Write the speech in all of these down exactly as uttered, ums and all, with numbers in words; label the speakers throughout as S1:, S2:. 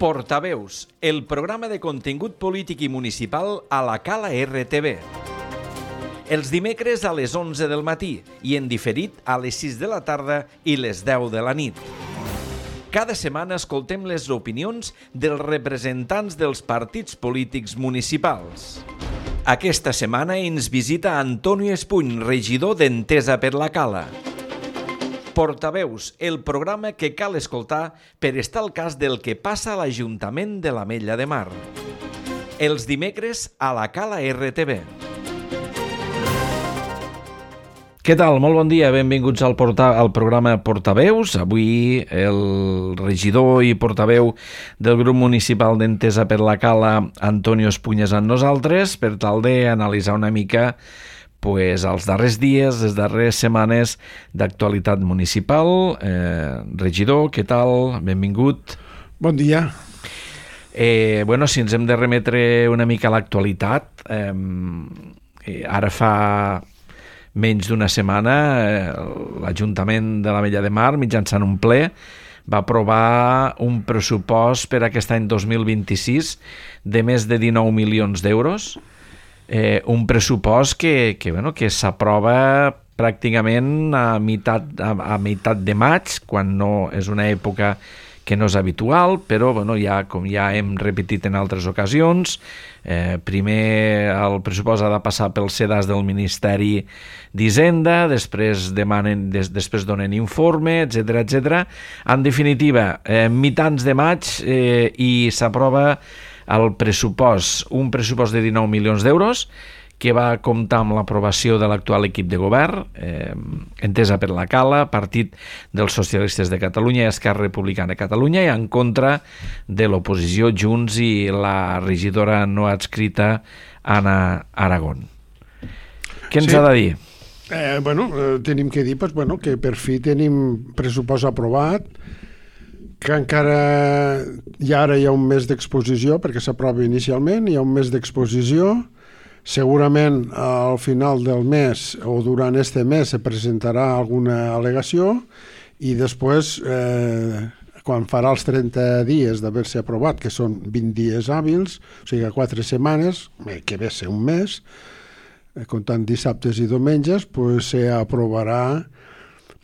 S1: Portaveus, el programa de contingut polític i municipal a la Cala R T V. Els dimecres a les onze del matí i en diferit a les sis de la tarda i les deu de la nit. Cada setmana escoltem les opinions dels representants dels partits polítics municipals. Aquesta setmana ens visita Antonio Espuny, regidor d'Entesa per la Cala. Portaveus, el programa que cal escoltar per estar al cas del que passa a l'Ajuntament de l'Ametlla de Mar. Els dimecres a la Cala R T V. Què tal? Molt bon dia, benvinguts al, porta, al programa Portaveus. Avui el regidor i portaveu del grup municipal d'Entesa per la Cala, Antonio Espuny, és amb nosaltres per tal d'analitzar una mica pues, els darrers dies, les darreres setmanes d'actualitat municipal. Eh, regidor, què tal? Benvingut.
S2: Bon dia.
S1: Eh, bueno, si ens hem de remetre una mica a l'actualitat, eh, eh, ara fa menys d'una setmana eh, l'Ajuntament de l'Ametlla de Mar, mitjançant un ple, va aprovar un pressupost per aquest any dos mil vint-i-sis de més de dinou milions d'euros. Eh, un pressupost que, que, bueno, que s'aprova pràcticament a meitat, a, a meitat de maig, quan no és una època que no és habitual, però bueno, ja, com ja hem repetit en altres ocasions, eh, primer el pressupost ha de passar pel sedàs del Ministeri d'Hisenda, després demanen, des, després donen informe, etcètera, etcètera. En definitiva, eh, mitjans de maig eh, i s'aprova el pressupost, un pressupost de dinou milions d'euros que va comptar amb l'aprovació de l'actual equip de govern, eh, Entesa per la Cala, Partit dels Socialistes de Catalunya i Esquerra Republicana de Catalunya, i en contra de l'oposició Junts i la regidora no adscrita Anna Aragón. Què ens sí. ha de dir?
S2: Eh, bueno, eh, tenim que dir pues, bueno, que per fi tenim pressupost aprovat, que encara hi ha, ara hi ha un mes d'exposició, perquè s'aprova inicialment, hi ha un mes d'exposició. Segurament al final del mes o durant este mes se presentarà alguna al·legació i després, eh, quan farà els trenta dies d'haver-se aprovat, que són vint dies hàbils, o sigui, quatre setmanes, que ve ser un mes, eh, comptant dissabtes i diumenges, pues, se aprovarà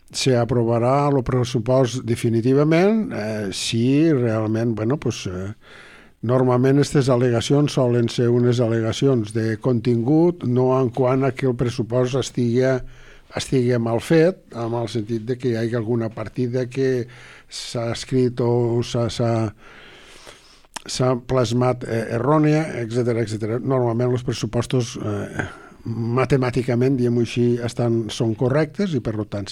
S2: se aprovarà el pressupost definitivament eh, si realment, bueno, pues, eh, normalment aquestes al·legacions solen ser unes al·legacions de contingut, no en quant a que el pressupost estigui, estigui mal fet, en el sentit de que hi hagi alguna partida que s'ha escrit o s'ha plasmat errònia, etcètera, etcètera. Normalment els pressupostos eh, matemàticament, diguem-ho així, estan, són correctes i per tant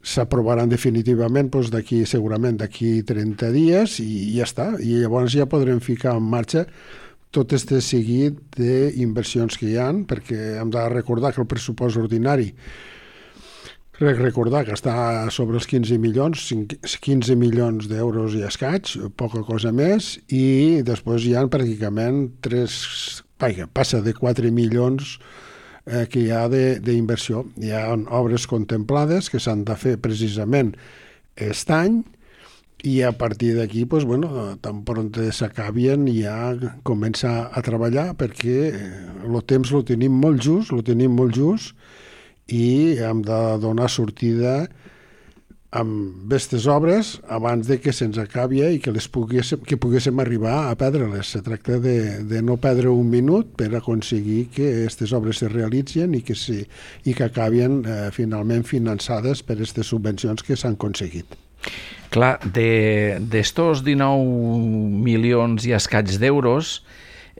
S2: s'aprovaran definitivament doncs, d'aquí segurament d'aquí trenta dies i ja està. I llavors ja podrem ficar en marxa tot aquest seguit d'inversions que hi ha, perquè hem de recordar que el pressupost ordinari recordar que està sobre els quinze milions, quinze milions d'euros i escaig, poca cosa més, i després hi ha pràcticament tres, vaja, passa de quatre milions eh, que hi ha d'inversió. Hi ha obres contemplades que s'han de fer precisament aquest any i a partir d'aquí, pues, bueno, tan pront s'acabien ja començar a treballar perquè el temps lo tenim molt just, lo tenim molt just i hem de donar sortida amb aquestes obres abans de que se'ns acabi i que, les poguéssim, que poguéssim arribar a perdre-les. Se tracta de, de no perdre un minut per aconseguir que aquestes obres se realitzin i que, si, i que acabin eh, finalment finançades per aquestes subvencions que s'han aconseguit.
S1: Clar, d'estos dinou milions i escaig d'euros,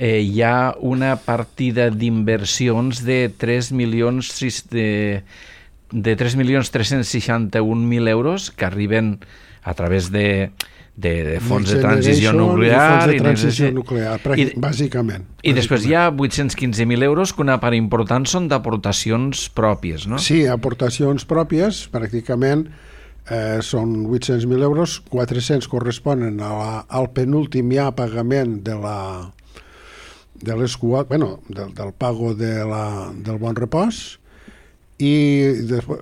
S1: Eh, hi ha una partida d'inversions de tres milions de, de tres milions tres-cents seixanta-un mil euros que arriben a través de, de, de fons de transició nuclear,
S2: fons de transició i, nuclear i, bàsicament.
S1: I després hi ha vuit-cents quinze mil euros que una part important són d'aportacions pròpies, no?
S2: Sí, aportacions pròpies, pràcticament eh, són vuit-cents mil euros, quatre-cents corresponen a la, al penúltim ja pagament de la de les, bueno, del, del pago de la, del Bon Repòs i,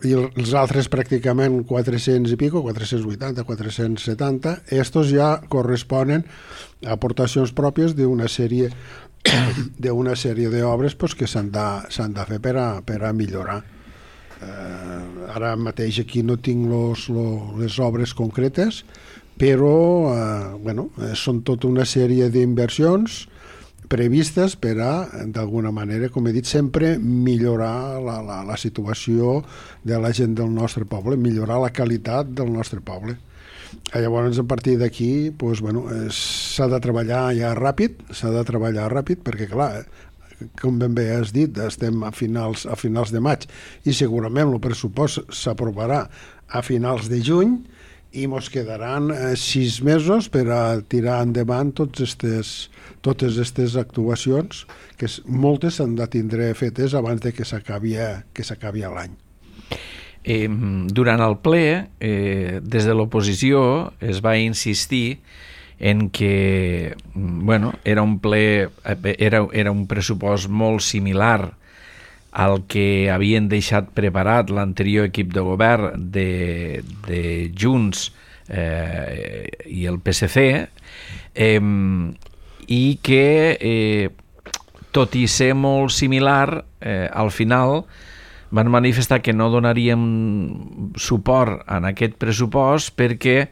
S2: i els altres pràcticament quatre-cents i pico, quatre-cents vuitanta, quatre-cents setanta, estos ja corresponen a aportacions pròpies d'una sèrie d'una sèrie d'obres pues, que s'han de, s'han de fer per a, per a millorar. Eh, ara mateix aquí no tinc los, los, les obres concretes, però eh, bueno, són tota una sèrie d'inversions previstes per a, d'alguna manera, com he dit sempre, millorar la, la, la situació de la gent del nostre poble, millorar la qualitat del nostre poble. Llavors, a partir d'aquí, doncs, bueno, s'ha de treballar ja ràpid, s'ha de treballar ràpid, perquè, clar, com ben bé has dit, estem a finals, a finals de maig i segurament el pressupost s'aprovarà a finals de juny, i ens quedaran eh, sis mesos per a tirar endavant tots estes, totes aquestes actuacions, que moltes s'han de tindre fetes abans de que s'acabi que s'acabi l'any.
S1: Eh, durant el ple, eh, des de l'oposició es va insistir en que bueno, era un ple, era, era un pressupost molt similar al que havien deixat preparat l'anterior equip de govern de, de Junts eh, i el P S C, eh, i que eh, tot i ser molt similar, eh, al final van manifestar que no donaríem suport en aquest pressupost perquè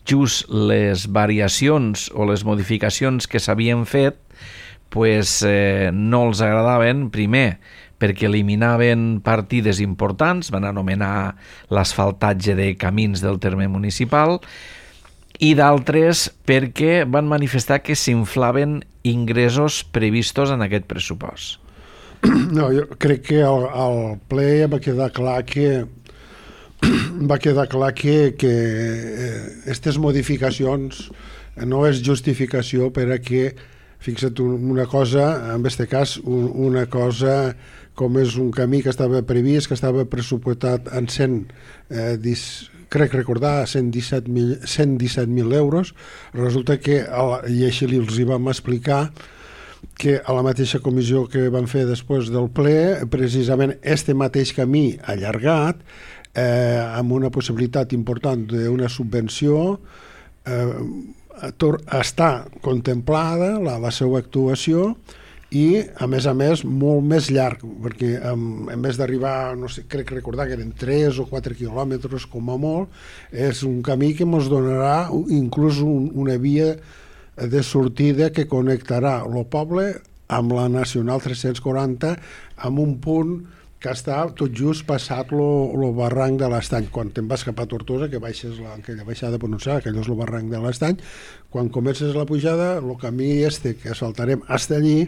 S1: just les variacions o les modificacions que s'havien fet pues, eh, no els agradaven, primer perquè eliminaven partides importants, van anomenar l'asfaltatge de camins del terme municipal, i d'altres perquè van manifestar que s'inflaven ingressos previstos en aquest pressupost.
S2: No, jo crec que al, al ple va quedar clar que va quedar clar que, que aquestes modificacions no és justificació per a que, fixa't una cosa, en aquest cas una cosa com és un camí que estava previst, que estava pressupostat en cent, eh, dis, crec recordar, cent disset mil euros, resulta que, i així els hi vam explicar, que a la mateixa comissió que van fer després del ple, precisament este mateix camí allargat, eh, amb una possibilitat important d'una subvenció, eh, està contemplada la, la seva actuació, i, a més a més, molt més llarg, perquè en, en vez d'arribar, no sé, crec recordar que eren tres o quatre quilòmetres com a molt, és un camí que ens donarà inclús un, una via de sortida que connectarà el poble amb la Nacional tres-cents quaranta amb un punt que està tot just passat el barranc de l'Estany. Quan te'n vas cap a Tortosa, que baixes la, aquella baixada pronunciada, que allò és el barranc de l'Estany, quan comences la pujada, el camí este que asfaltarem hasta allí,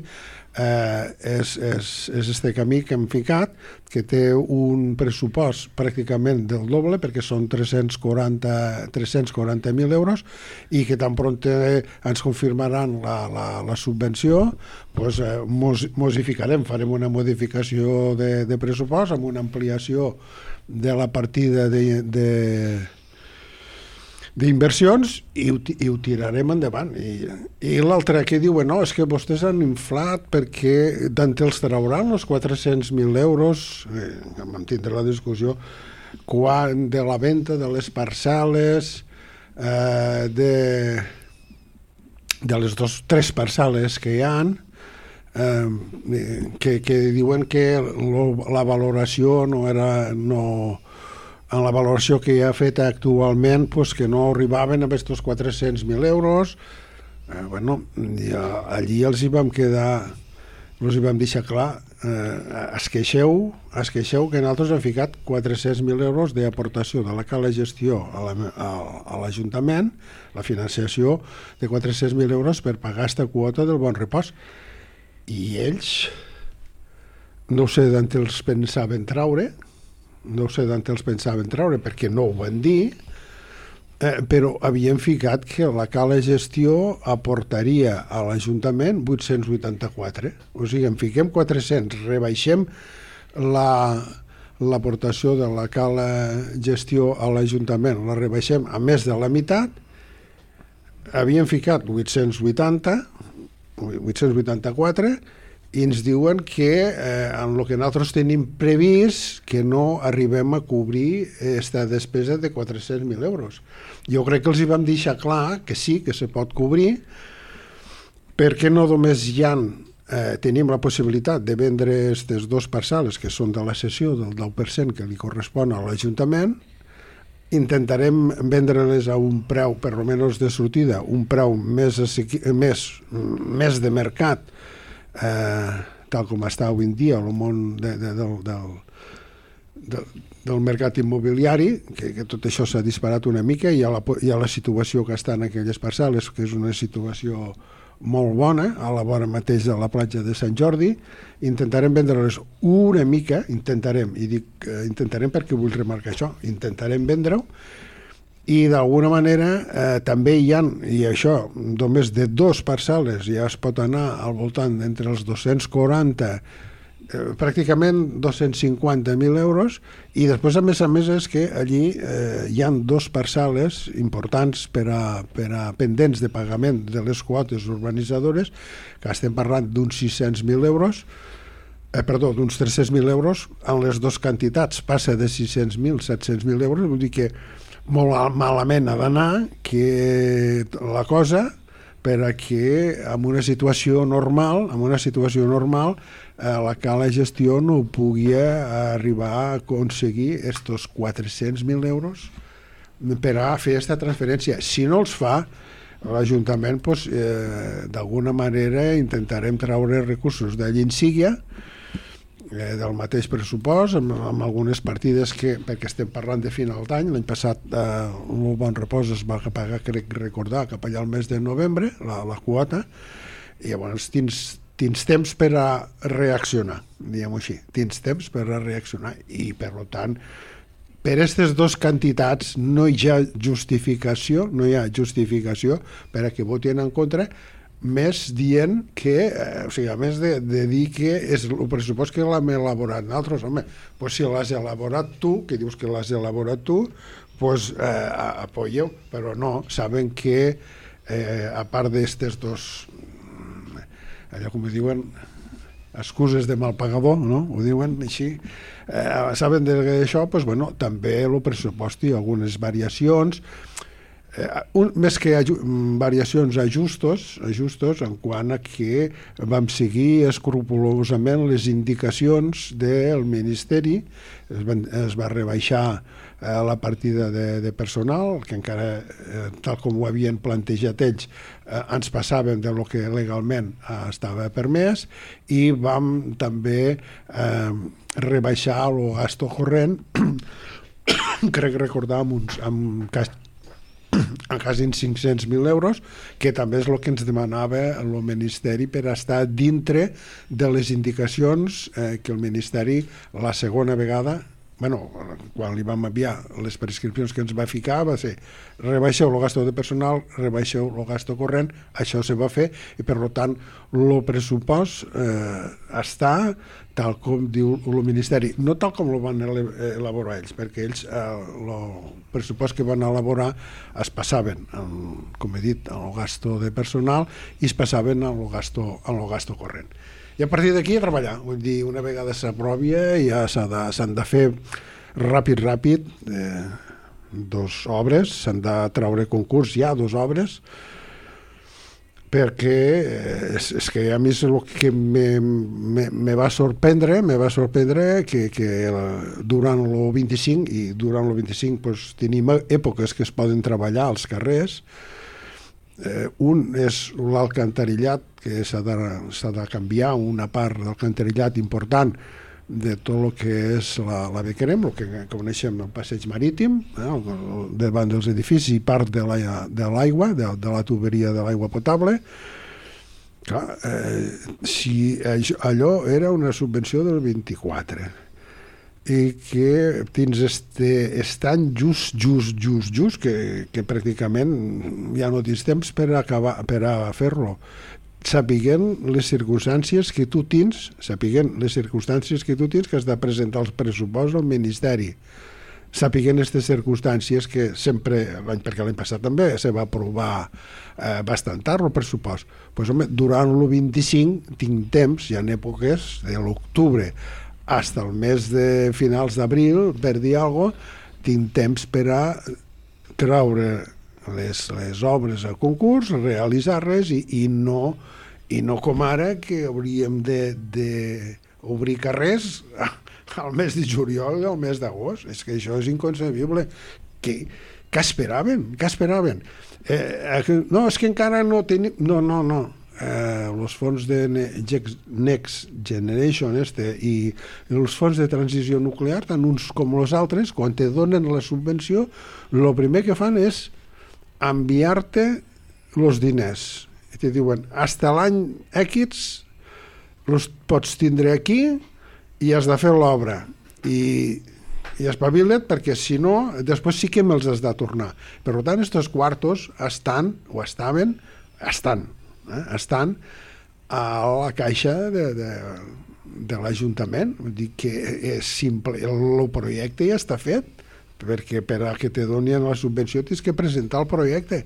S2: eh, és, és, és este camí que hem ficat, que té un pressupost pràcticament del doble, perquè són tres-cents quaranta mil euros, i que tan pront ens confirmaran la, la, la subvenció, doncs eh, mos, mos hi ficarem, farem una modificació de, de pressupost amb una ampliació de la partida de, de d'inversions i, i ho tirarem endavant. I, i l'altre que diuen, no, és que vostès han inflat perquè d'on els trauran els quatre-cents mil euros, eh, vam tindre la discussió, quan de la venda de les parcel·les, eh, de, de les dos, tres parcel·les que hi ha, eh, que, que diuen que lo, la valoració no era... No, en la valoració que hi ha feta actualment, pues, que no arribaven a aquests quatre-cents mil euros. Eh, bueno, ja, allí els hi vam quedar, els hi vam deixar clar, eh, es queixeu, es queixeu que nosaltres hem ficat quatre-cents mil euros d'aportació de la cala gestió a l'Ajuntament, la financiació de quatre-cents mil euros per pagar aquesta quota del bon repòs. I ells, no sé d'on els pensaven traure, no sé d'on els pensaven treure perquè no ho van dir, eh, però havien ficat que la cala gestió aportaria a l'Ajuntament vuit-cents vuitanta-quatre. O sigui, en fiquem quatre-cents, rebaixem la, l'aportació de la cala gestió a l'Ajuntament, la rebaixem a més de la meitat, havien ficat vuit-cents vuitanta, vuit-cents vuitanta-quatre, i ens diuen que eh, en el que nosaltres tenim previst que no arribem a cobrir aquesta despesa de quatre-cents mil euros. Jo crec que els hi vam deixar clar que sí, que se pot cobrir, perquè no només hi ha, eh, tenim la possibilitat de vendre aquestes dues parcel·les que són de la cessió del deu per cent que li correspon a l'Ajuntament, intentarem vendre-les a un preu, per almenys de sortida, un preu més, més, més de mercat, eh, tal com està avui en dia el món de, de, del, del, del, del mercat immobiliari, que, que tot això s'ha disparat una mica, i hi ha, la, hi ha la situació que està en aquelles parcel·les, que és una situació molt bona, a la vora mateix de la platja de Sant Jordi. Intentarem vendre-les una mica, intentarem, i dic eh, intentarem perquè vull remarcar això, intentarem vendre-ho, i d'alguna manera eh, també hi ha, i això només de dos parcel·les ja es pot anar al voltant entre els dos-cents quaranta, eh, pràcticament dos-cents cinquanta mil euros, i després a més a més és que allí eh, hi ha dos parcel·les importants per a, per a pendents de pagament de les quotes urbanitzadores, que estem parlant d'uns sis-cents mil euros, eh, perdó, d'uns tres-cents mil euros, en les dues quantitats passa de sis-cents mil a set-cents mil euros, vull dir que molt malament ha d'anar que la cosa per a que en una situació normal, en una situació normal, eh, la cala gestió no pugui arribar a aconseguir estos quatre-cents mil euros per a fer aquesta transferència. Si no els fa, l'Ajuntament, pues, eh, d'alguna manera intentarem treure recursos d'allí en Síria, Eh, del mateix pressupost, amb, amb algunes partides que, perquè estem parlant de final d'any, l'any passat eh, un bon repòs es va pagar, crec recordar, cap allà al mes de novembre, la, la quota, i llavors tens, tens temps per a reaccionar, diguem-ho així, tens temps per a reaccionar, i per tant, per aquestes dues quantitats no hi ha justificació, no hi ha justificació per a que votin en contra, més dient que, eh, o sigui, a més de, de dir que és el pressupost que l'hem elaborat nosaltres, home, pues si l'has elaborat tu, que dius que l'has elaborat tu, pues eh, apoyeu, però no, saben que eh, a part d'estes dos, allò com diuen, excuses de mal pagador, no? Ho diuen així, eh, saben d'això, pues bueno, també el pressupost i algunes variacions, Un, més que aju variacions ajustos, ajustos en quant a que vam seguir escrupolosament les indicacions del Ministeri, es, van, es va rebaixar eh, la partida de, de personal, que encara, eh, tal com ho havien plantejat ells, eh, ens passàvem de lo que legalment eh, estava permès, i vam també eh, rebaixar el gasto corrent, crec recordar amb uns amb cas en quasi cinc-cents mil euros, que també és el que ens demanava el Ministeri per estar dintre de les indicacions eh, que el Ministeri la segona vegada, bueno, quan li vam enviar les prescripcions que ens va ficar, va ser rebaixeu el gasto de personal, rebaixeu el gasto corrent, això se va fer, i per tant el pressupost eh, està tal com diu el Ministeri, no tal com el van elaborar ells, perquè ells el eh, pressupost que van elaborar es passaven, en, com he dit, en el gasto de personal i es passaven en el gasto, en el gasto corrent. I a partir d'aquí a treballar, vull dir, una vegada s'aprovi ja s'han de, s'han de fer ràpid, ràpid, eh, dos obres, s'han de treure concurs ja, dos obres, perquè és, és que a mi és el que me, me, me va sorprendre, me va sorprendre que, que durant el vint-i-cinc, i durant el vint-i-cinc pues, tenim èpoques que es poden treballar als carrers. Eh, un és l'alcantarillat, que s'ha de, s'ha de canviar una part d'alcantarillat important de tot el que és la, la Bequerem, el que coneixem el passeig marítim, eh, davant dels edificis, i part de l'aigua, de, de la tuberia de l'aigua potable. Clar, eh, si allò era una subvenció del vint-i-quatre, i que tens este, este any just, just, just, just, que, que pràcticament ja no tens temps per acabar, per a fer-lo. Sapiguent les circumstàncies que tu tens, sapiguent les circumstàncies que tu tens, que has de presentar els pressupostos al Ministeri, sapiguent aquestes circumstàncies que sempre, perquè l'any passat també se va aprovar eh, bastant tard el pressupost, pues, home, durant el vint-i-cinc tinc temps, hi ha èpoques de l'octubre fins al mes de finals d'abril, per dir alguna cosa, tinc temps per a treure les, les obres a concurs, realitzar-les i, i, no, i no com ara que hauríem d'obrir carrers al mes de juliol i al mes d'agost. És que això és inconcebible. Què, què esperaven? Què esperaven? Eh, no, és que encara no tenim... No, no, no. Eh, els fons de Next Generation este, i els fons de transició nuclear, tant uns com els altres, quan te donen la subvenció, el primer que fan és enviar-te els diners. I te diuen, hasta l'any X els pots tindre aquí i has de fer l'obra. I, i espavila't, perquè si no, després sí que me'ls has de tornar. Per tant, estos quartos estan, o estaven, estan, eh, estan a la caixa de, de, de l'Ajuntament. Vull dir que és simple, el projecte ja està fet, perquè per a que te donin la subvenció tens que presentar el projecte.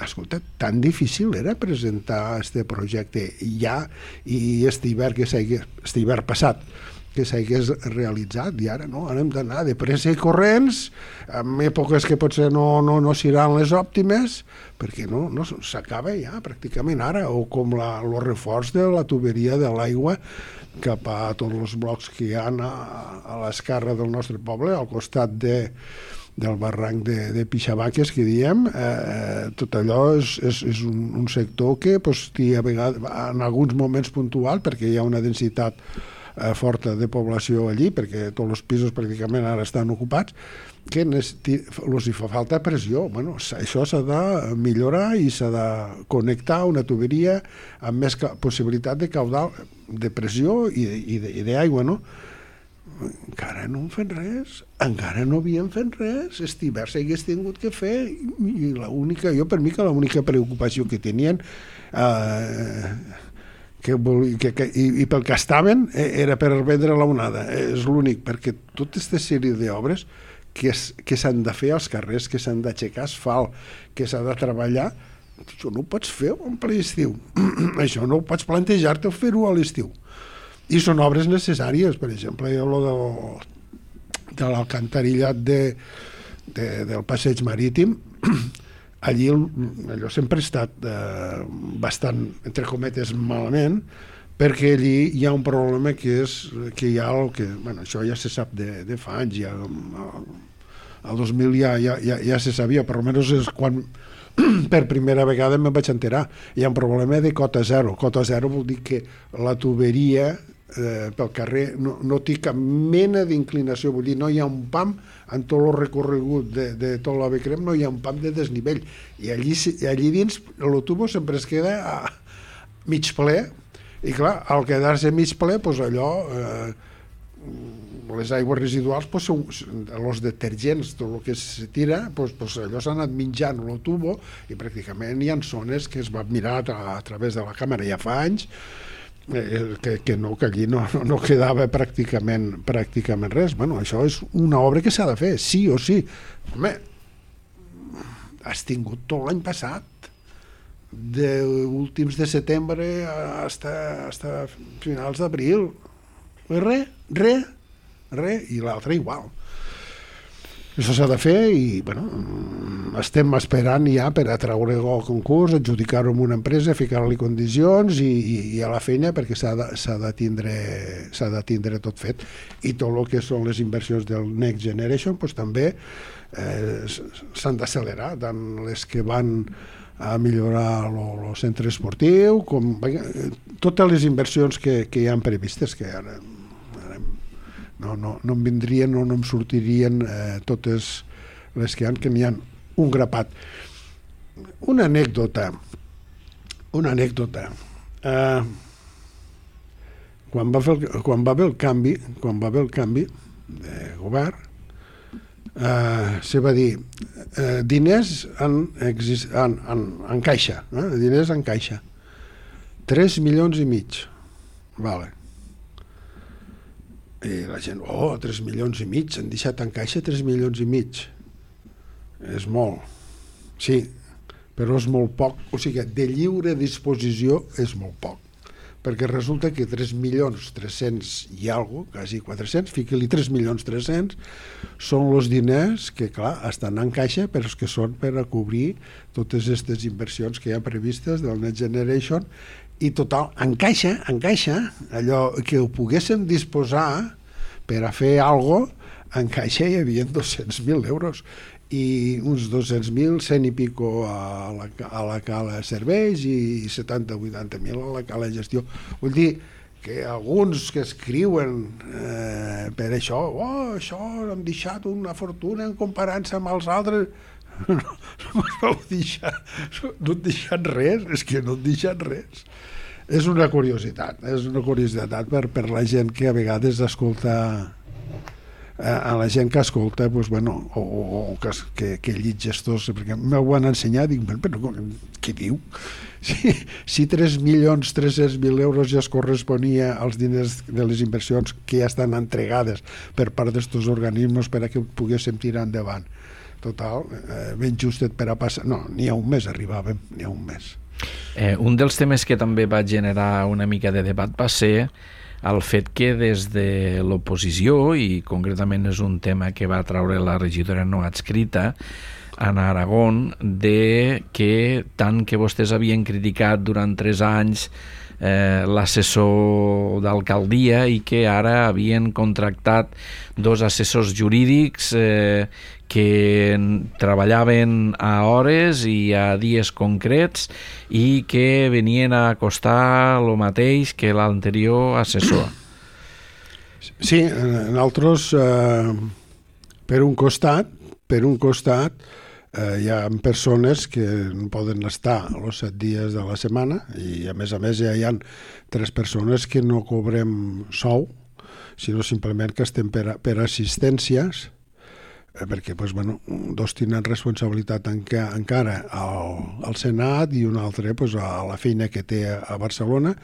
S2: Escolta, tan difícil era presentar este projecte ja, i este hivern que s'hagués, este hivern passat, que s'hagués realitzat, i ara no, ara hem d'anar de pressa i corrents, en èpoques que potser no, no, no seran les òptimes, perquè no, no s'acaba ja pràcticament ara, o com la, el reforç de la tuberia de l'aigua cap a tots els blocs que hi ha a, a l'esquerra del nostre poble, al costat de del barranc de, de Pixabaques, que diem, eh, tot allò és, és, és un, un sector que pues, a vegades, en alguns moments puntual, perquè hi ha una densitat eh, forta de població allí, perquè tots els pisos pràcticament ara estan ocupats, que els hi fa falta pressió. Bueno, això s'ha de millorar i s'ha de connectar una tuberia amb més possibilitat de caudal, de pressió i, i d'aigua, no? Encara no hem fet res, encara no havíem fet res, aquest hivern s'hagués tingut que fer, i l'única, jo per mi que l'única preocupació que tenien eh, que, que, que, i, i pel que estaven era per vendre la onada, és l'únic, perquè tota aquesta sèrie d'obres que, que s'han de fer als carrers, que s'han d'aixecar asfalt, que s'ha de treballar, això no ho pots fer en ple estiu, això no ho pots plantejar-te o fer-ho a l'estiu. I són obres necessàries, per exemple, el de, de l'alcantarillat de, de, del passeig marítim, allí allò sempre ha estat eh, bastant, entre cometes, malament, perquè allí hi ha un problema que és que hi ha el que, bueno, això ja se sap de, de fa anys, ja, el dos mil ja, ja, ja, ja se sabia, per almenys és quan per primera vegada me'n vaig enterar. Hi ha un problema de cota zero. Cota zero vol dir que la tuberia eh, pel carrer no, no té cap mena d'inclinació, vull dir, no hi ha un pam en tot el recorregut de, de tot l'A V C R E M, no hi ha un pam de desnivell, i allí, allí dins el tubo sempre es queda a mig ple, i clar, al quedar-se mig ple, doncs allò eh, les aigües residuals, doncs, són els detergents, tot el que se tira, doncs, doncs allò s'ha anat menjant el tubo, i pràcticament hi ha zones que es va mirar a, a través de la càmera ja fa anys, eh, que, que no, que allí no, no quedava pràcticament, pràcticament res. Bueno, això és una obra que s'ha de fer, sí o sí. Home, has tingut tot l'any passat, de últims de setembre hasta, hasta finals d'abril. Res, res, res, i l'altre igual. Això s'ha de fer i, bueno, estem esperant ja per atraure el concurs, adjudicar-ho a una empresa, ficar-li condicions i, i, i a la feina, perquè s'ha de, s'ha de tindre, s'ha de tindre tot fet. I tot el que són les inversions del Next Generation, doncs també eh, s'han d'accelerar, tant les que van a millorar el centre esportiu, com totes les inversions que, que hi han previstes, que ara, ara no, no, no em vindrien o no em sortirien eh, totes les que hi ha, que n'hi ha un grapat. Una anècdota, una anècdota. Eh, quan va fer el, quan va haver el canvi, quan va haver el canvi de govern, Uh, se va dir uh, diners en, en, en, en caixa, eh? diners en caixa, tres milions i mig, vale. I la gent, oh, tres milions i mig, han deixat en caixa tres milions i mig. És molt. Sí, però és molt poc. O sigui, de lliure disposició és molt poc. Perquè resulta que tres milions tres-cents i alguna cosa, quasi quatre-cents, fica-li tres milions tres-cents, són els diners que, clar, estan en caixa, però que són per a cobrir totes aquestes inversions que hi ha previstes del Next Generation, i total, en caixa, en caixa, allò que ho poguéssim disposar per a fer alguna cosa, en caixa hi havia dos-cents mil euros i uns dos-cents mil, cent i pico a la, a la cala serveis i setanta o vuitanta mil a la cala gestió. Vull dir que alguns que escriuen eh, per això, oh, això hem deixat una fortuna en comparant-se amb els altres, no, no, no, deixat, no han deixat res, és que no han deixat res. És una curiositat, és una curiositat per, per la gent que a vegades escolta, a la gent que escolta, pues, bueno, o, o, o que, que, que llig estos, perquè m'ho han ensenyat, dic, però què diu? Si, si tres milions tres-cents mil euros ja es corresponia als diners de les inversions que ja estan entregades per part d'estos organismes per a que poguéssim tirar endavant. Total, eh, ben justet per a passar... No, ni a un mes arribàvem, ni a un mes.
S1: Eh, un dels temes que també va generar una mica de debat va ser el fet que des de l'oposició, i concretament és un tema que va traure la regidora no adscrita en Aragón, de que tant que vostès havien criticat durant tres anys eh, l'assessor d'alcaldia i que ara havien contractat dos assessors jurídics eh, que treballaven a hores i a dies concrets i que venien a costar el mateix que l'anterior assessor.
S2: Sí, nosaltres eh, per un costat per un costat eh, hi ha persones que no poden estar els set dies de la setmana i a més a més ja hi ha tres persones que no cobrem sou, sinó simplement que estem per, per assistències, perquè pues, bueno, dos tenen responsabilitat enca, encara al, al Senat i un altre pues, a la feina que té a Barcelona.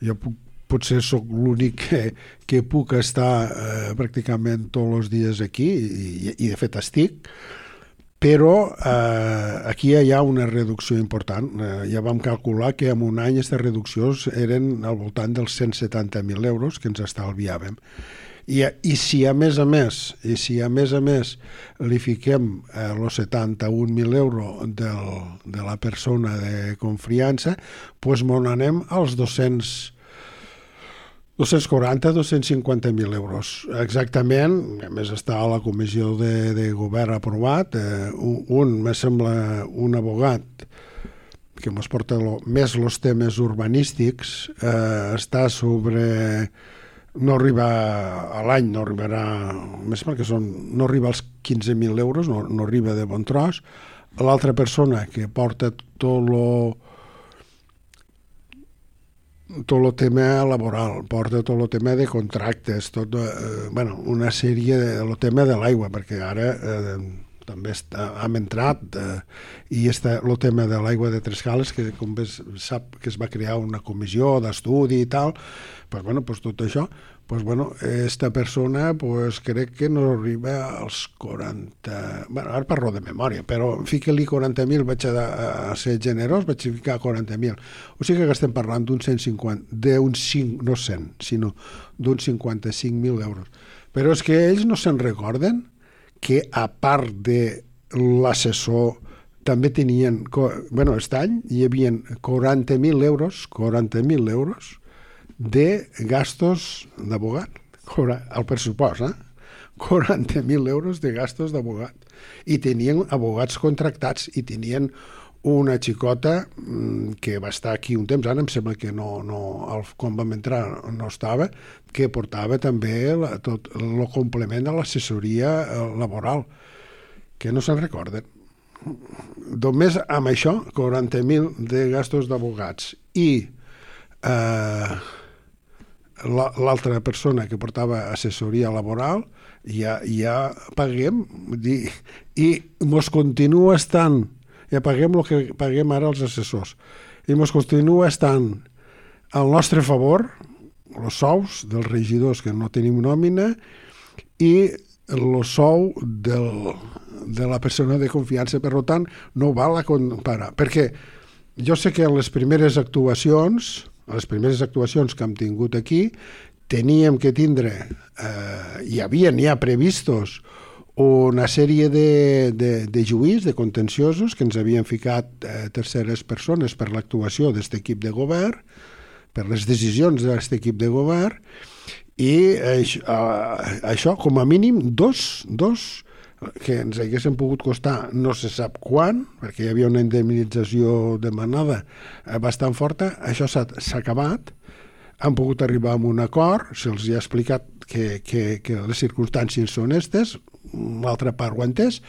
S2: Jo puc, potser sóc l'únic que, que puc estar eh, pràcticament tots els dies aquí i, i de fet estic, però eh, aquí hi ha una reducció important. Eh, ja vam calcular que en un any aquestes reduccions eren al voltant dels cent setanta mil euros que ens estalviàvem. I, i si a més a més i si a més a més li fiquem eh, els setanta-un mil euros del, de la persona de confiança, doncs mon anem als dos-cents dos-cents quaranta a dos-cents cinquanta mil euros. Exactament, a més està a la comissió de, de govern aprovat, eh, un, un, me sembla, un abogat que ens porta lo, més els temes urbanístics, eh, està sobre... no arriba a l'any, no arribarà més perquè són, no arriba als quinze mil euros, no, no arriba de bon tros. L'altra persona que porta tot lo tot el tema laboral, porta tot el tema de contractes, tot, eh, bueno, una sèrie de el tema de l'aigua, perquè ara eh, també està, hem entrat eh, i està el tema de l'aigua de Trescales, que com bé sap que es va crear una comissió d'estudi i tal, pues, bueno, pues, tot això, pues, bueno, esta persona pues, crec que no arriba als quaranta... Bueno, ara parlo de memòria, però fica-li quaranta mil, vaig a, a ser generós, vaig ficar quaranta mil. O sigui que estem parlant d'un cent cinquanta, d'un cinc, no cent, sinó d'un cinquanta-cinc mil euros. Però és que ells no se'n recorden que a part de l'assessor també tenien, bueno, aquest any hi havia quaranta mil euros, quaranta mil euros de gastos d'abogat, al pressupost, eh? quaranta mil euros de gastos d'abogat. I tenien abogats contractats i tenien una xicota que va estar aquí un temps, ara em sembla que no, no, quan vam entrar no estava, que portava també la, tot el complement de l'assessoria laboral, que no se'n recorden. Només amb això, quaranta mil de gastos d'abogats i eh, l'altra persona que portava assessoria laboral, ja, ja paguem, dir, i mos continua estant, ja paguem el que paguem ara els assessors, i mos continua estant al nostre favor els sous dels regidors que no tenim nòmina i el sou del, de la persona de confiança. Per tant, no val a comparar. Perquè jo sé que en les primeres actuacions, les primeres actuacions que hem tingut aquí, teníem que tindre, eh, hi havia, n'hi ha previstos, una sèrie de, de, de juís, de contenciosos, que ens havien ficat eh, terceres persones per l'actuació d'aquest equip de govern, per les decisions d'aquest equip de govern, i això, eh, això com a mínim, dos, dos que ens haguessin pogut costar no se sap quan, perquè hi havia una indemnització demanada bastant forta. Això s'ha acabat, han pogut arribar a un acord, se'ls ha explicat que, que, que les circumstàncies són aquestes, l'altra part ho ha entès,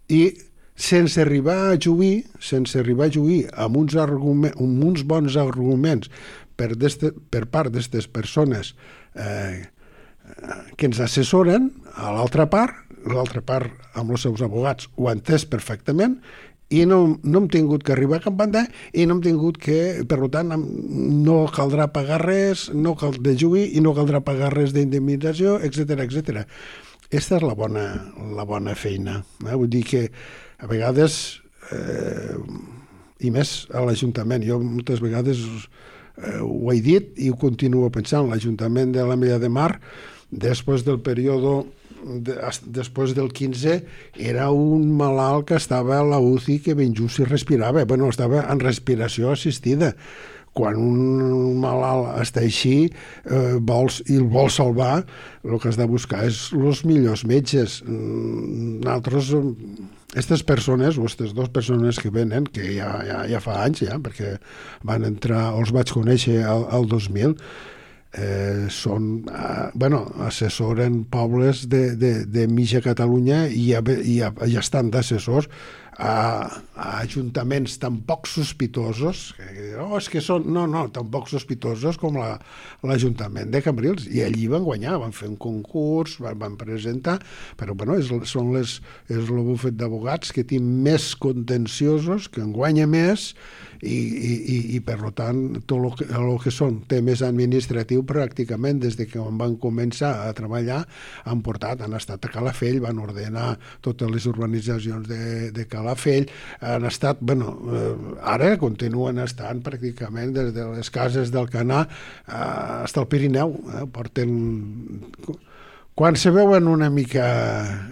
S2: i sense arribar a juir, sense arribar a juir amb uns, argument, amb uns bons arguments per, per part d'aquestes persones eh, que ens assessoren, a l'altra part, l'altra part amb els seus abogats ho ha entès perfectament, i no, no hem tingut que arribar a cap banda i no hem tingut que, per tant, no caldrà pagar res, no cal de juir i no caldrà pagar res d'indemnització, etcètera, etcètera. Aquesta és la bona, la bona feina. Eh? Vull dir que a vegades, eh, i més a l'Ajuntament, jo moltes vegades eh, ho he dit i ho continuo pensant, l'Ajuntament de l'Ametlla de Mar, després del període de, després del quinze, era un malalt que estava a la U C I que ben just si respirava. Bueno, estava en respiració assistida. Quan un malalt està així eh, vols, i el vol salvar, el que has de buscar és els millors metges. Nosaltres, aquestes persones, o aquestes dues persones que venen, que ja, ja, ja fa anys, ja, perquè van entrar, els vaig conèixer al, al dos mil, eh, són, eh, bueno, assessoren pobles de, de, de mitja Catalunya i ja, ja, ja estan d'assessors a, a ajuntaments tan poc sospitosos, que, oh, és que són, no, no, tan poc sospitosos com la, l'Ajuntament de Cambrils, i allí van guanyar, van fer un concurs, van, van presentar, però bueno, és, són les, és el bufet d'abogats que té més contenciosos, que en guanya més, i, i, i per tant, tot el que, el que són temes administratius pràcticament des de que van començar a treballar han portat, han estat a Calafell, van ordenar totes les urbanitzacions de, de Calafell, han estat, bueno, eh, ara continuen estant pràcticament des de les cases del Canà eh, fins al Pirineu, eh, porten... Quan se veuen una mica,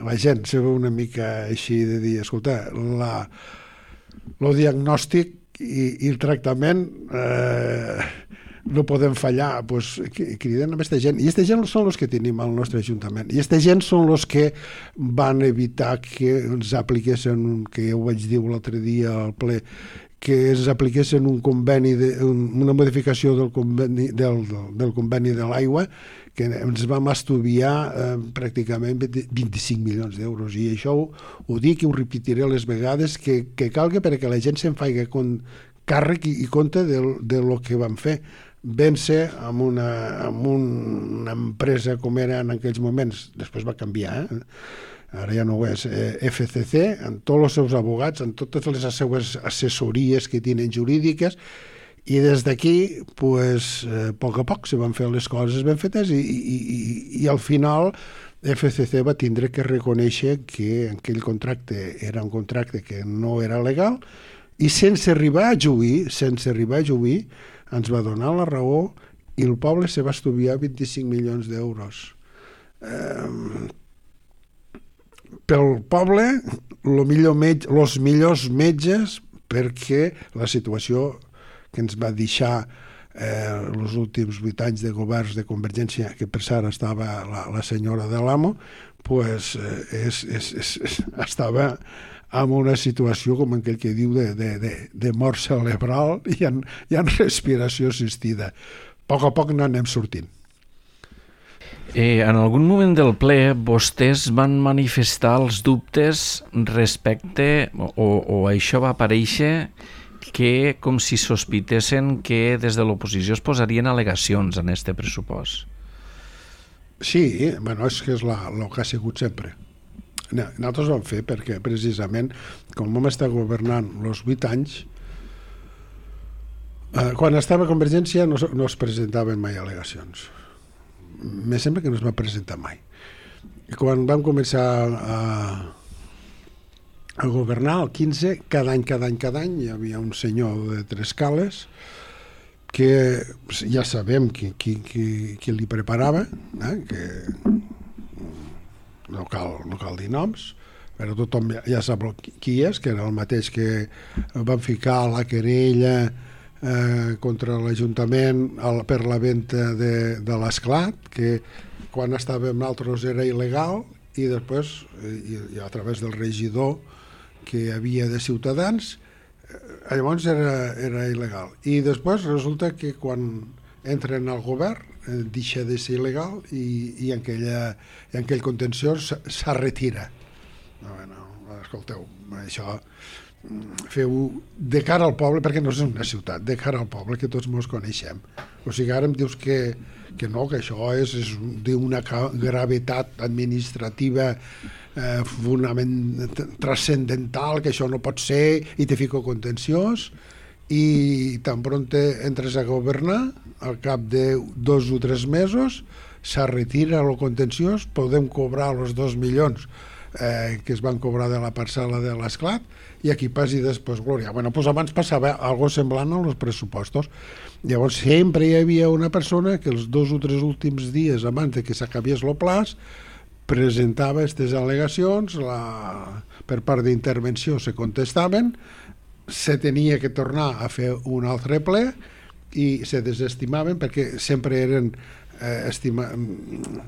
S2: la gent se veu una mica així de dir, escolta, la, el diagnòstic i, i el tractament eh, no podem fallar, doncs criden a aquesta gent, i aquesta gent són els que tenim al nostre Ajuntament, i aquesta gent són els que van evitar que ens apliquessin, que ja ho vaig dir l'altre dia al ple, que ens apliquessin un conveni, de, un, una modificació del conveni, del, del conveni de l'aigua, que ens vam estudiar eh, pràcticament vint-i-cinc milions d'euros, i això ho, ho dic i ho repetiré les vegades que, que calga perquè la gent se'n faci càrrec i, i compte de, de lo que vam fer. Vam ser amb una, amb una empresa com era en aquells moments, després va canviar, eh? Ara ja no ho és, eh, F C C, amb tots els seus abogats, amb totes les seves assessories que tenen jurídiques, i des d'aquí, pues, eh, a poc a poc se van fer les coses ben fetes i, i, i, i al final F C C va tindre que reconèixer que aquell contracte era un contracte que no era legal i sense arribar a juir, sense arribar a juir, ens va donar la raó i el poble se va estudiar vint-i-cinc milions d'euros. Eh, pel poble, lo millor metge, els millors metges, perquè la situació que ens va deixar eh, els últims vuit anys de governs de Convergència, que per cert estava la, la senyora de l'Amo, pues, eh, és, és, és, és, estava en una situació com aquell que diu de, de, de, de mort cerebral i en, i en respiració assistida. A poc a poc n'anem sortint.
S1: Eh, en algun moment del ple vostès van manifestar els dubtes respecte, o, o això va aparèixer, que com si sospitessin que des de l'oposició es posarien al·legacions en este pressupost.
S2: Sí, bueno, és que és la, el que ha sigut sempre. Nosaltres ho vam fer perquè precisament com vam estar governant els vuit anys, Uh, quan estava a Convergència no, no es presentaven mai al·legacions. Me sembla que no es va presentar mai. I quan vam començar a, a governar, el quinze, cada any, cada any, cada any, hi havia un senyor de Trescales que ja sabem qui, qui, qui, qui li preparava, eh? Que no cal, no cal dir noms, però tothom ja, ja sap qui és, que era el mateix que van ficar la querella eh, contra l'Ajuntament per la venda de, de l'esclat, que quan estàvem nosaltres era il·legal, i després, i, i a través del regidor que hi havia de Ciutadans, eh, llavors era, era il·legal. I després resulta que quan entren al govern eh, deixa de ser il·legal i, i, en aquella, i en aquell contenció se retira. No, no, escolteu, això feu de cara al poble, perquè no és una ciutat, de cara al poble, que tots mos coneixem. O sigui, ara em dius que, que no, que això és, és d'una gravetat administrativa eh, fonament transcendental, que això no pot ser, i te fico contenciós, i tan pronto entres a governar, al cap de dos o tres mesos, se retira el contenciós, podem cobrar els dos milions Eh, que es van cobrar de la parcel·la de l'esclat, i aquí passi després glòria. Bueno, doncs abans passava algo semblant als pressupostos. Llavors sempre hi havia una persona que els dos o tres últims dies abans de que s'acabés el plaç presentava aquestes al·legacions, la... per part d'intervenció se contestaven, se tenia que tornar a fer un altre ple i se desestimaven perquè sempre eren Eh, estima,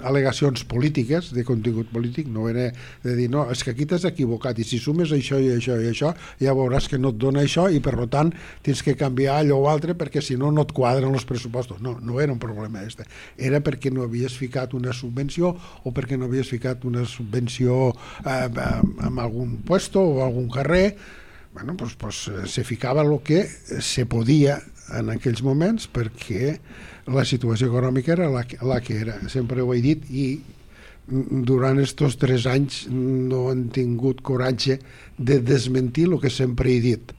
S2: al·legacions polítiques, de contingut polític, no era de dir, no, és que aquí t'has equivocat i si sumes això i això i això ja veuràs que no et dona això i per tant tens que canviar allò o altre perquè si no no et quadren els pressupostos. No, no era un problema este. Era perquè no havies ficat una subvenció o perquè no havies ficat una subvenció eh, en algun puesto o algun carrer. Bueno, pues, pues se ficava el que se podia en aquells moments perquè la situació econòmica era la, la que era, sempre ho he dit, i durant estos tres anys no han tingut coratge de desmentir el que sempre he dit.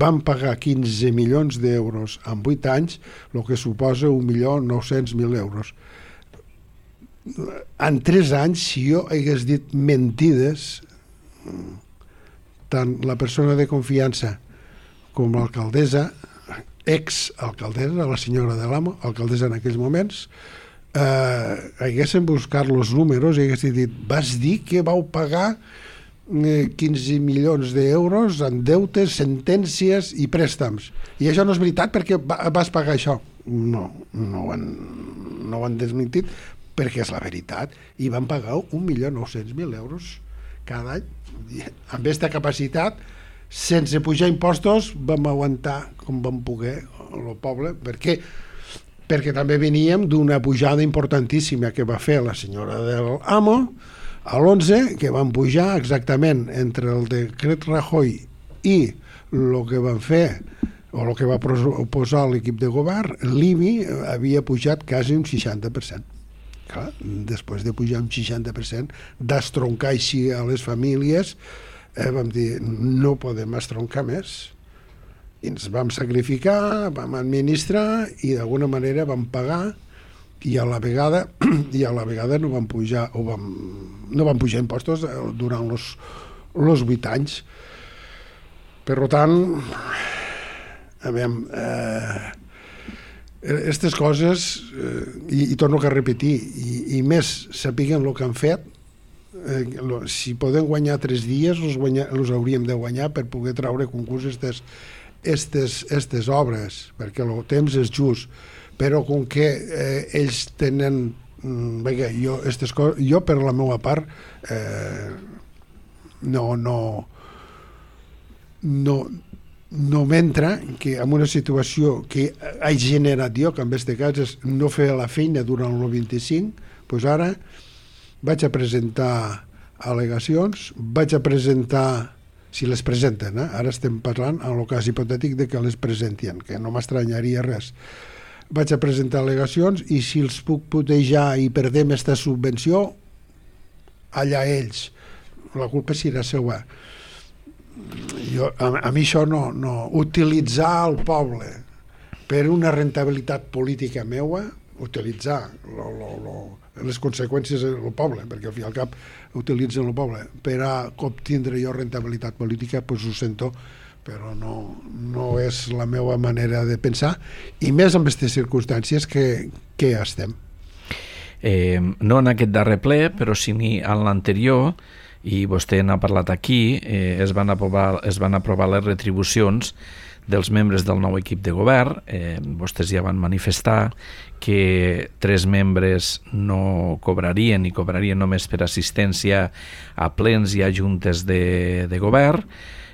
S2: Van pagar quinze milions d'euros en vuit anys, el que suposa un milió nou-cents mil euros. En tres anys, si jo hagués dit mentides, tant la persona de confiança com l'alcaldessa, ex-alcaldessa, la senyora de l'Amo, alcaldessa en aquells moments, eh, haguessin buscat els números i haguessin dit, vas dir que vau pagar eh, quinze milions d'euros en deutes, sentències i préstams. I això no és veritat perquè va, vas pagar això. No, no ho han, no ho han desmentit perquè és la veritat. I van pagar un milió nou-cents mil euros cada any. Amb aquesta capacitat, sense pujar impostos, vam aguantar com vam poder el poble, perquè, perquè també veníem d'una pujada importantíssima que va fer la senyora del Amo a l'onze, que van pujar exactament entre el decret Rajoy i el que van fer o el que va posar l'equip de govern, l'I B I havia pujat quasi un seixanta per cent. Clar, després de pujar un seixanta per cent, d'estroncar així a les famílies, Eh, vam dir, no podem estroncar més. I ens vam sacrificar, vam administrar i d'alguna manera vam pagar i a la vegada i a la vegada no vam pujar o vam, no vam pujar impostos durant els els vuit anys. Per tant, a veure, eh, aquestes coses, eh, i, i torno a repetir, i, i més sapiguen el que han fet, Eh, lo, si podem guanyar tres dies els, guanya, els hauríem de guanyar per poder traure concurs estes, estes, estes obres, perquè el temps és just, però com que eh, ells tenen mm, veia, jo, estes coses, jo per la meva part eh, no no no no m'entra que en una situació que he generat jo, que en aquest cas és no fer la feina durant el vint-i-cinc, doncs ara vaig a presentar al·legacions, vaig a presentar, si les presenten, eh? Ara estem parlant en el cas hipotètic de que les presentien, que no m'estranyaria res. Vaig a presentar al·legacions i si els puc putejar i perdem aquesta subvenció, allà ells. La culpa serà seva. Jo, a, a mi això no, no. Utilitzar el poble per una rentabilitat política meua, utilitzar lo, lo, lo, les conseqüències del poble, perquè al fi i al cap utilitzen el poble, per a obtindre jo rentabilitat política, doncs ho sento, però no, no és la meva manera de pensar, i més en aquestes circumstàncies que, que estem.
S1: Eh, no en aquest darrer ple, però sí en l'anterior, i vostè n'ha parlat aquí, eh, es, van aprovar, es van aprovar les retribucions dels membres del nou equip de govern. Eh, vostès ja van manifestar que tres membres no cobrarien i cobrarien només per assistència a plens i a juntes de, de govern.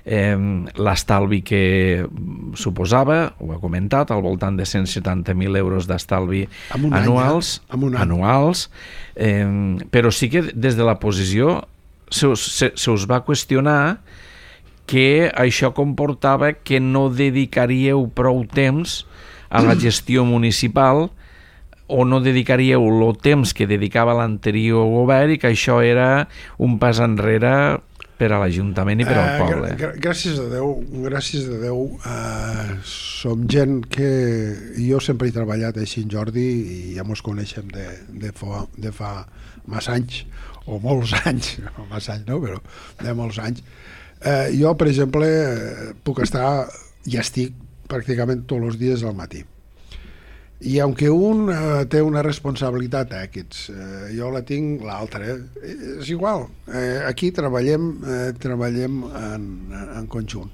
S1: Eh, l'estalvi que suposava, ho ha comentat, al voltant de cent setanta mil euros d'estalvi anuals,
S2: any, eh?
S1: anuals eh, però sí que des de la posició se us, se, se us va qüestionar que això comportava que no dedicaríeu prou temps a la gestió municipal o no dedicaríeu el temps que dedicava l'anterior govern i que això era un pas enrere per a l'Ajuntament i per al poble.
S2: Uh, gràcies a Déu, gràcies a Déu, uh, som gent que jo sempre he treballat així en Jordi i ja mos coneixem de, de, fa, de fa massa anys, o molts anys, no massa anys no, però de molts anys. Uh, jo, per exemple, puc estar, ja estic pràcticament tots els dies al matí. I aunque un uh, té una responsabilitat X, uh, jo la tinc l'altra, eh? És igual, uh, aquí treballem, uh, treballem en, en conjunt.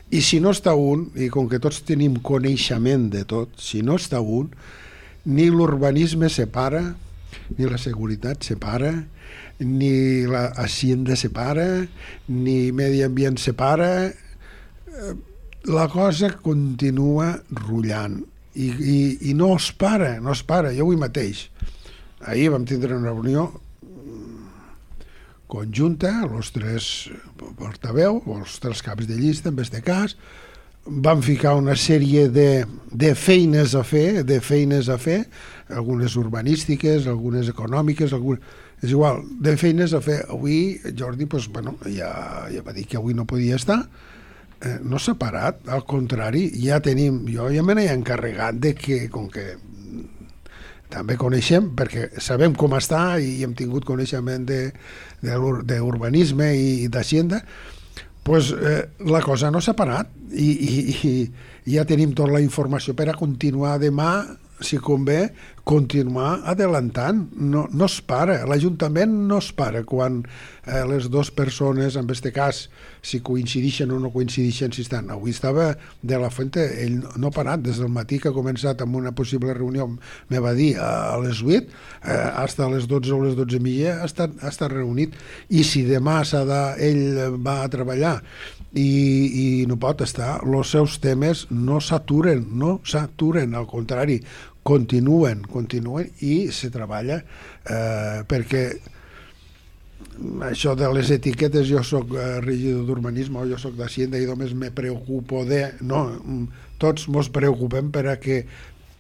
S2: I si no està un, i com que tots tenim coneixement de tot, si no està un, ni l'urbanisme separa, ni la seguretat separa, ni la hacienda separa, ni medi ambient separa, uh, la cosa continua rullant. I, i, i no es para, no es para. Jo avui mateix, ahir vam tindre una reunió conjunta, els tres portaveu, els tres caps de llista, en aquest cas, vam ficar una sèrie de, de feines a fer, de feines a fer, algunes urbanístiques, algunes econòmiques, algunes, és igual, de feines a fer. Avui Jordi, doncs, bueno, ja, ja va dir que avui no podia estar, Eh, no s'ha parat, al contrari, ja tenim, jo ja me n'he encarregat de que, com que també coneixem, perquè sabem com està i hem tingut coneixement d'urbanisme i d'hacienda, pues, eh, la cosa no s'ha parat i, i, i ja tenim tota la informació per a continuar demà, si convé, continuar adelantant. No, no es para, l'Ajuntament no es para quan eh, les dues persones, en aquest cas, si coincideixen o no coincideixen, si estan. Avui estava de la Fuente, ell no ha parat, des del matí que ha començat amb una possible reunió, me va dir a les vuit, eh, fins a les dotze o les dotze i mitja ha estat, ha estat reunit, i si demà s'ha de, ell va a treballar i, i no pot estar, els seus temes no s'aturen, no s'aturen, al contrari, continuen, continuen i se treballa eh, perquè això de les etiquetes, jo soc eh, regidor d'urbanisme o jo soc d'Hacienda i només me preocupo de... No, tots mos preocupem per a que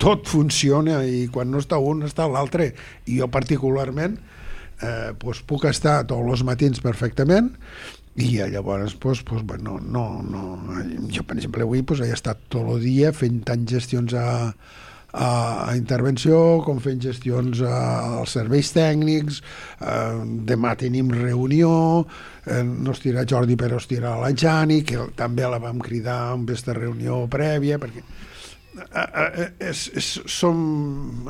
S2: tot funciona i quan no està un està l'altre, i jo particularment eh, pues puc estar tots els matins perfectament i llavors pues, pues, bueno, no, no, jo per exemple avui pues, he estat tot el dia fent tant gestions a a intervenció, com fent gestions als serveis tècnics, eh, demà tenim reunió, eh, no es dirà Jordi però es dirà la Jani, que també la vam cridar en aquesta reunió prèvia, perquè eh, eh, és, és, som,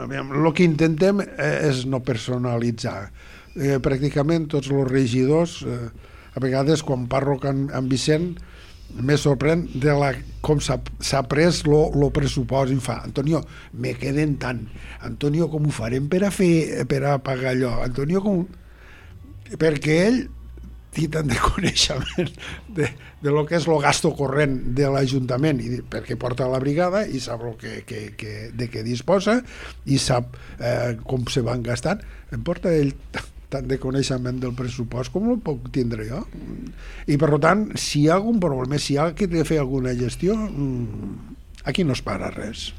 S2: aviam, el que intentem és no personalitzar. Eh, pràcticament tots els regidors, eh, a vegades quan parlo amb, amb Vicent, me sorprèn de la, com s'ha pres el pressupost i em fa, Antonio, me queden tant, Antonio, com ho farem per a fer, per a pagar allò, Antonio, com... perquè ell té tant de coneixement de, de lo que és el gasto corrent de l'Ajuntament, i perquè porta la brigada i sap lo que, que, que, de què disposa i sap eh, com se van gastant, em porta ell tant de coneixement del pressupost com el puc tindre jo. I per tant, si hi ha algun problema, si hi ha que fer alguna gestió, aquí no es para res.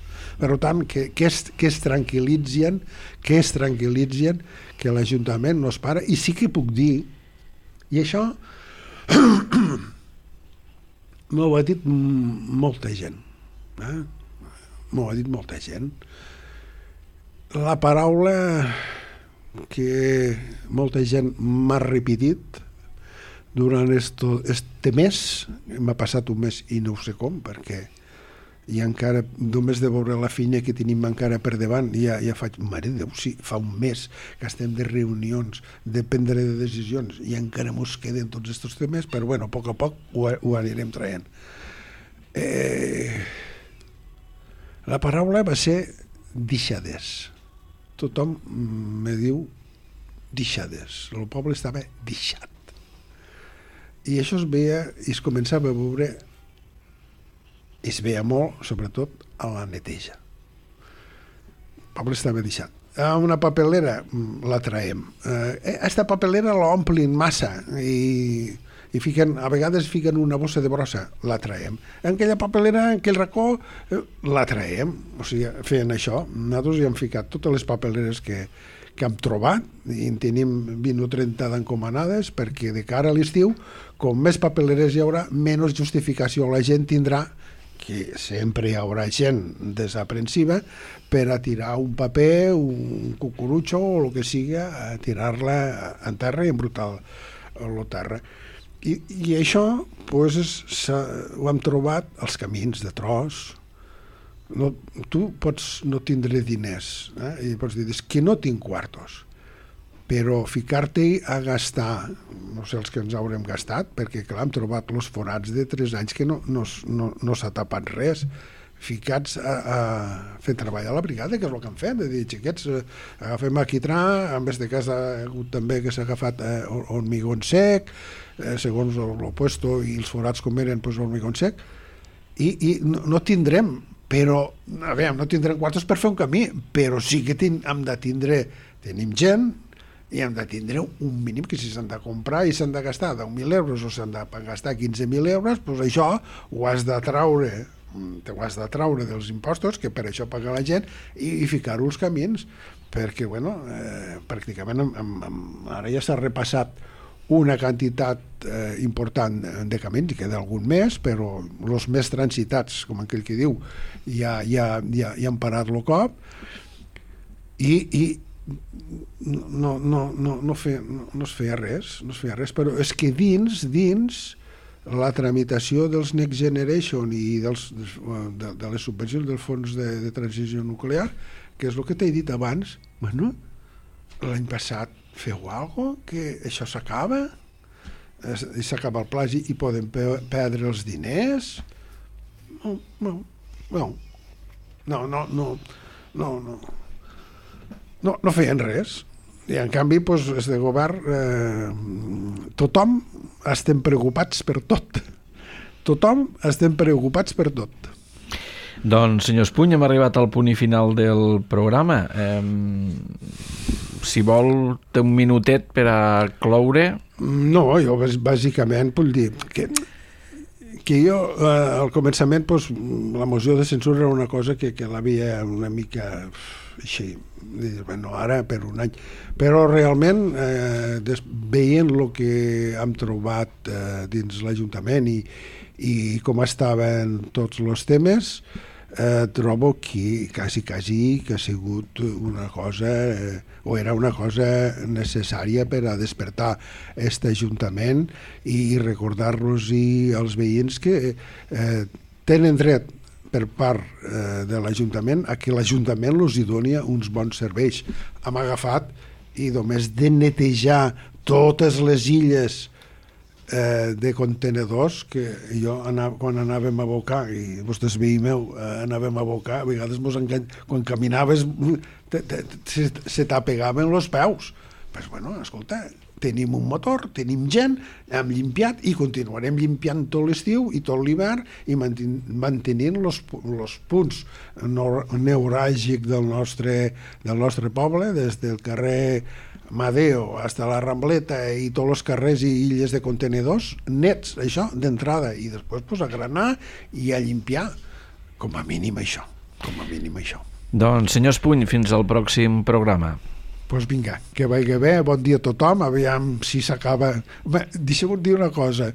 S2: Per tant, que, que, es, que es tranquil·litzen, que es tranquil·litzen, que l'Ajuntament no es para, i sí que puc dir, i això m'ho ha dit molta gent, eh? m'ho ha dit molta gent. La paraula que molta gent m'ha repetit durant esto, este mes, m'ha passat un mes i no ho sé com, perquè i encara, només de veure la feina que tenim encara per davant, ja, ja faig, mare de Déu, sí, fa un mes que estem de reunions, de prendre de decisions, i encara mos queden tots aquests temes, però bueno, a poc a poc ho, ho anirem traient. Eh, la paraula va ser deixades. Tothom me diu deixades. El poble estava deixat. I això es veia, i es començava a veure, es veia molt, sobretot, a la neteja. El poble estava deixat. A una papelera la traiem. Eh, esta papelera l'omplin massa i, i fiquen, a vegades fiquen una bossa de brossa, la traiem. En aquella papelera, en aquell racó, eh, la traiem. O sigui, feien això. Nosaltres hi hem ficat totes les papeleres que, que hem trobat i en tenim vint o trenta d'encomanades perquè de cara a l'estiu, com més papeleres hi haurà, menys justificació la gent tindrà, que sempre hi haurà gent desaprensiva, per a tirar un paper, un cucurutxo o el que siga, a tirar-la en terra i embrutar la terra. I, i això pues, és, ho hem trobat als camins de tros. No, tu pots no tindre diners, eh? I pots dir, és que no tinc quartos, però ficar-te a gastar, no sé els que ens haurem gastat, perquè clar, hem trobat els forats de tres anys que no, no, no, no s'ha tapat res, ficats a, a fer treballar a la brigada, que és el que han fet, de dir, xiquets, eh, agafem quitrà, en vez de cas ha hagut també que s'ha agafat eh, hormigó sec, eh, segons l'opuesto i els forats com eren, pues, hormigó sec, i, i no, no tindrem, però, a veure, no tindrem quartos per fer un camí, però sí que tin, hem de tindre, tenim gent, i hem de tindre un mínim que si s'han de comprar i s'han de gastar deu mil euros o s'han de gastar quinze mil euros, doncs això ho has de traure, te ho has de traure dels impostos, que per això paga la gent, i, i ficar-ho als camins, perquè, bueno, eh, pràcticament em, em, em, ara ja s'ha repassat una quantitat eh, important de camins, i queda algun més, però els més transitats, com aquell que diu, ja, ja, ja, ja han parat el cop, i, i no, no, no, no, feia, no, no es feia res, no es feia res, però és que dins, dins la tramitació dels Next Generation i dels, de, de les subvencions dels fons de, de transició nuclear, que és el que t'he dit abans, bueno, l'any passat feu alguna cosa, que això s'acaba, i s'acaba el plagi i poden pe perdre els diners. No, no, no, no, no, no, no, no. No, no feien res. I en canvi, doncs, des de govern, eh, tothom estem preocupats per tot. Tothom estem preocupats per tot.
S1: Doncs, senyor Espuny, hem arribat al punt i final del programa. Eh, si vol, té un minutet per a cloure.
S2: No, jo bàsicament vull dir que, que jo, eh, al començament, doncs, la moció de censura era una cosa que, que l'havia una mica així, bueno, ara per un any, però realment eh, des, veient el que hem trobat eh, dins l'Ajuntament i, i com estaven tots els temes, eh, trobo que quasi, quasi que ha sigut una cosa eh, o era una cosa necessària per a despertar aquest Ajuntament i recordar-los als veïns que eh, tenen dret per part eh, de l'Ajuntament a que l'Ajuntament els hi doni uns bons serveis. Hem agafat i només de netejar totes les illes eh, de contenedors que jo anava, quan anàvem a abocar, i vostès veí meu eh, anàvem a abocar, a vegades mos engany... quan caminaves te, te, se, se t'apegaven els peus. Pues bueno, escolta, tenim un motor, tenim gent, hem limpiat i continuarem limpiant tot l'estiu i tot l'hivern i manten mantenint els punts neuràlgics del nostre, del nostre poble, des del carrer Madeo fins a la Rambleta i tots els carrers i illes de contenedors nets, això, d'entrada, i després pues, a granar i a limpiar, com a mínim això, com a mínim això.
S1: Doncs, senyor Espuny, fins al pròxim programa.
S2: Doncs vinga, que vagi bé, bon dia a tothom, aviam si s'acaba... Deixeu-me dir una cosa,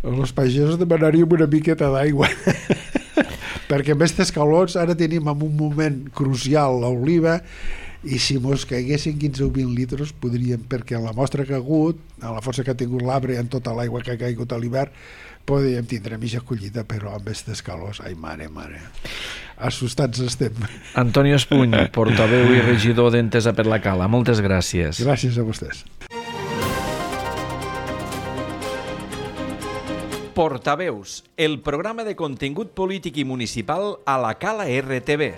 S2: els pagesos demanaríem una miqueta d'aigua. perquè amb aquestes calors ara tenim en un moment crucial l'oliva, i si mos caiguessin quinze o vint litres podríem, perquè la mostra que ha hagut, a la força que ha tingut l'arbre, en tota l'aigua que ha caigut a l'hivern, podríem tindre mitja collita, però amb aquestes calors, ai mare, mare, assustats estem.
S1: Antonio Espuny, portaveu i regidor d'Entesa per la Cala, moltes gràcies.
S2: Gràcies a vostès.
S1: Portaveus, el programa de contingut polític i municipal a la Cala R T V.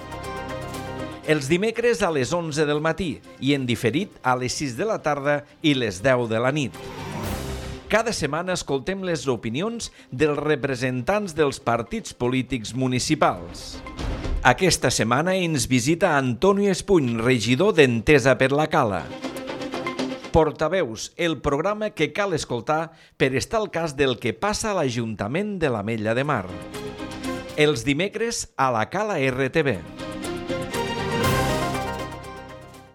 S1: Els dimecres a les onze del matí i en diferit a les sis de la tarda i les deu de la nit. Cada setmana escoltem les opinions dels representants dels partits polítics municipals. Aquesta setmana ens visita Antonio Espuny, regidor d'Entesa per la Cala. Portaveus, el programa que cal escoltar per estar al cas del que passa a l'Ajuntament de l'Ametlla de Mar. Els dimecres a la Cala R T V.